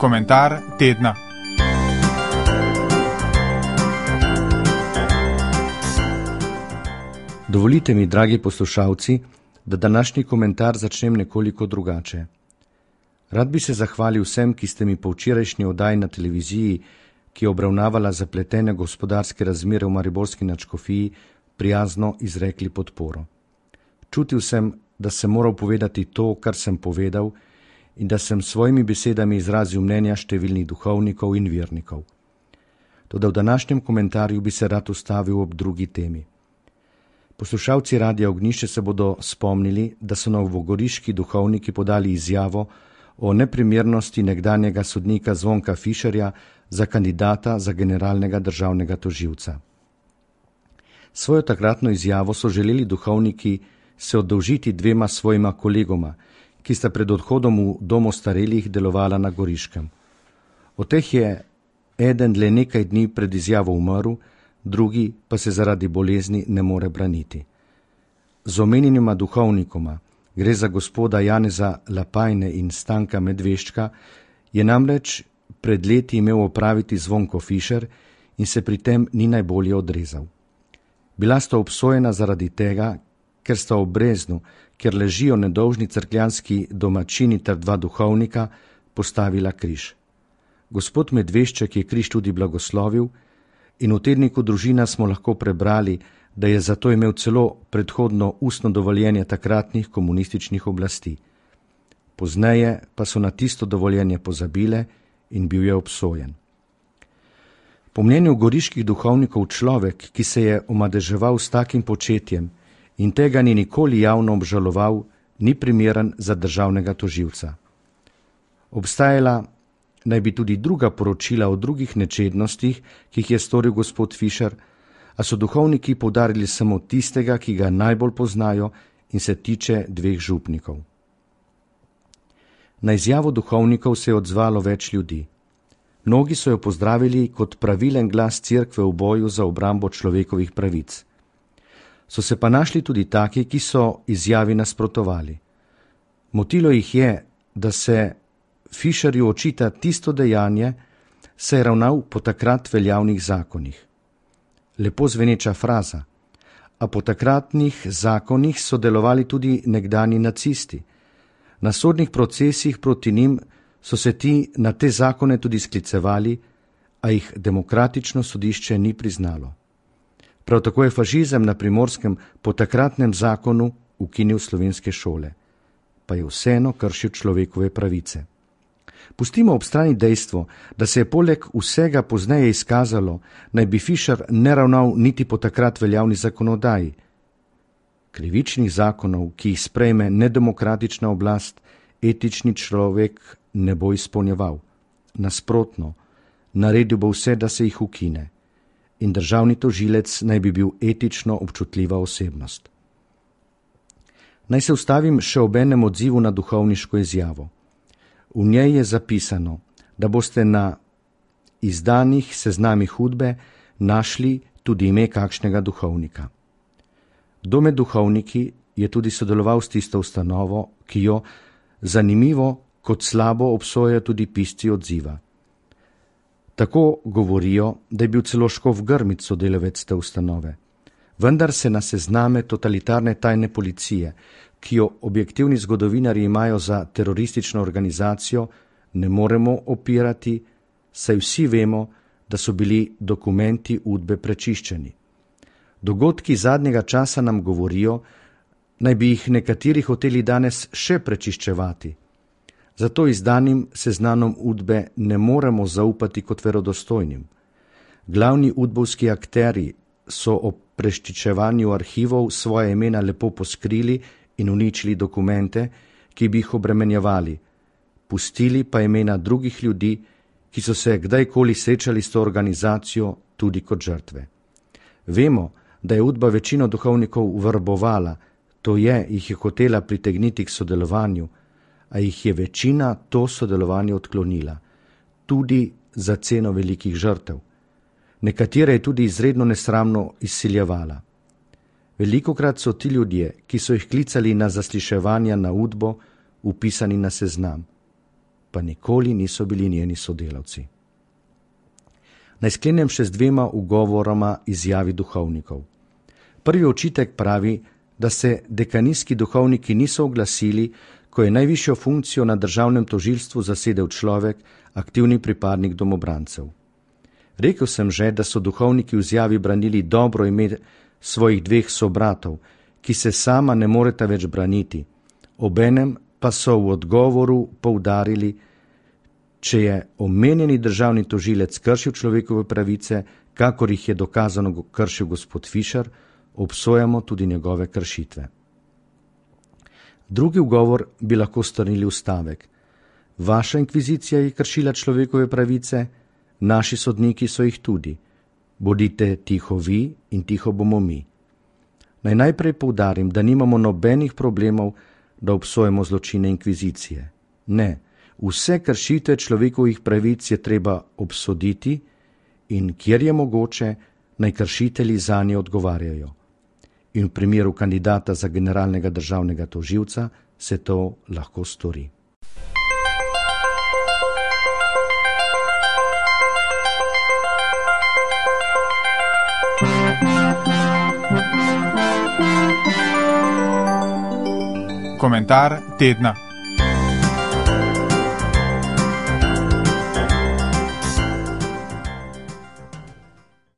Komentar tedna. Dovolite mi, dragi poslušalci, da današnji komentar začnem nekoliko drugače. Rad bi se zahvalil vsem, ki ste mi po včerajšnji oddaji na televiziji, ki je obravnavala zapletene gospodarske razmere v mariborski nadškofiji, prijazno izrekli podporo. Čutil sem, da sem moral povedati to, kar sem povedal, in da sem s svojimi besedami izrazil mnenja številnih duhovnikov in vernikov. Toda v današnjem komentarju bi se rad ustavil ob drugi temi. Poslušalci Radia Ognjišče se bodo spomnili, da so novogoriški duhovniki podali izjavo o neprimernosti nekdanjega sodnika Zvonka Fišerja za kandidata za generalnega državnega tožilca. Svojo takratno izjavo so želeli duhovniki se oddolžiti dvema svojima kolegoma, ki sta pred odhodom v dom ostarelih delovala na Goriškem. Od teh je eden le nekaj dni pred izjavo umrl, drugi pa se zaradi bolezni ne more braniti. Z omenjenima duhovnikoma, gre za gospoda Janeza Lapajne in Stanka Medveščka, je namreč pred leti imel opraviti Zvonko Fišer in se pri tem ni najbolje odrezal. Bila sta obsojena zaradi tega, ker sta ob Breznu, kjer ležijo nedolžni cerkljanski domačini ter dva duhovnika, postavila križ. Gospod Medvešček je križ tudi blagoslovil in v tedniku Družina smo lahko prebrali, da je zato imel celo predhodno ustno dovoljenje takratnih komunističnih oblasti. Pozneje pa so na tisto dovoljenje pozabile in bil je obsojen. Po mnenju goriških duhovnikov človek, ki se je omadeževal s takim početjem in tega ni nikoli javno obžaloval, ni primeren za državnega tožilca. Obstajala naj bi tudi druga poročila o drugih nečednostih, ki jih je storil gospod Fišer, a so duhovniki poudarili samo tistega, ki ga najbolj poznajo in se tiče dveh župnikov. Na izjavo duhovnikov se je odzvalo več ljudi. Mnogi so jo pozdravili kot pravilen glas cerkve v boju za obrambo človekovih pravic. So se pa našli tudi taki, ki so izjavi nasprotovali. Motilo jih je, da se Fišerju očita tisto dejanje, se je ravnal po takrat veljavnih zakonih. Lepo zveneča fraza, a po takratnih zakonih so delovali tudi nekdani nacisti. Na sodnih procesih proti njim so se ti na te zakone tudi sklicevali, a jih demokratično sodišče ni priznalo. Prav tako je fašizem na Primorskem po takratnem zakonu ukinil slovenske šole, pa je vseeno kršil človekove pravice. Pustimo ob strani dejstvo, da se je poleg vsega pozneje izkazalo, naj bi Fišer ne ravnal niti po takrat veljavni zakonodaji. Krivičnih zakonov, ki jih sprejme nedemokratična oblast, etični človek ne bo izpolnjeval. Nasprotno, naredil bo vse, da se jih ukine. In državni tožilec naj bi bil etično občutljiva osebnost. Naj se ustavim še ob enem odzivu na duhovniško izjavo. V njej je zapisano, da boste na izdanih seznamih hudbe našli tudi ime kakšnega duhovnika. Kdo med duhovniki je tudi sodeloval s tisto ustanovo, ki jo, zanimivo, kot slabo obsojajo tudi pisci odziva. Tako govorijo, da je bil celo škof Grmić sodelavec te ustanove. Vendar se na sezname totalitarne tajne policije, ki jo objektivni zgodovinarji imajo za teroristično organizacijo, ne moremo opirati, saj vsi vemo, da so bili dokumenti udbe prečiščeni. Dogodki zadnjega časa nam govorijo, naj bi jih nekateri hoteli danes še prečiščevati. Zato izdanim seznanom udbe ne moremo zaupati kot verodostojnim. Glavni udbovski akteri so ob prečiščevanju arhivov svoje imena lepo poskrili in uničili dokumente, ki bi jih obremenjevali, pustili pa imena drugih ljudi, ki so se kdajkoli srečali s to organizacijo tudi kot žrtve. Vemo, da je udba večino duhovnikov vrbovala, to je, jih je hotela pritegniti k sodelovanju, a jih je večina to sodelovanje odklonila, tudi za ceno velikih žrtev. Nekatere je tudi izredno nesramno izsiljevala. Velikokrat so ti ljudje, ki so jih klicali na zasliševanja na udbo, vpisani na seznam. pa nikoli niso bili njeni sodelavci. Naj sklenem še z 2 ugovoroma izjavi duhovnikov. Prvi očitek pravi, da se dekanijski duhovniki niso oglasili, ko je najvišjo funkcijo na državnem tožilstvu zasedel človek, aktivni pripadnik domobrancev. Rekel sem že, da so duhovniki v izjavi branili dobro ime svojih 2 sobratov, ki se sama ne moreta več braniti. Obenem pa so v odgovoru poudarili, če je omenjeni državni tožilec kršil človekove pravice, kakor jih je dokazano kršil gospod Fišer, obsojamo tudi njegove kršitve. Drugi ugovor bi lahko strnili v stavek: vaša inkvizicija je kršila človekove pravice, naši sodniki so jih tudi. Bodite tiho vi in tiho bomo mi. Naj najprej poudarim, da nimamo nobenih problemov, da obsojamo zločine inkvizicije. Ne, vse kršitve človekovih pravic je treba obsoditi in, kjer je mogoče, naj kršitelji zanje odgovarjajo. In v primeru kandidata za generalnega državnega tožilca se to lahko stori. Komentar tedna.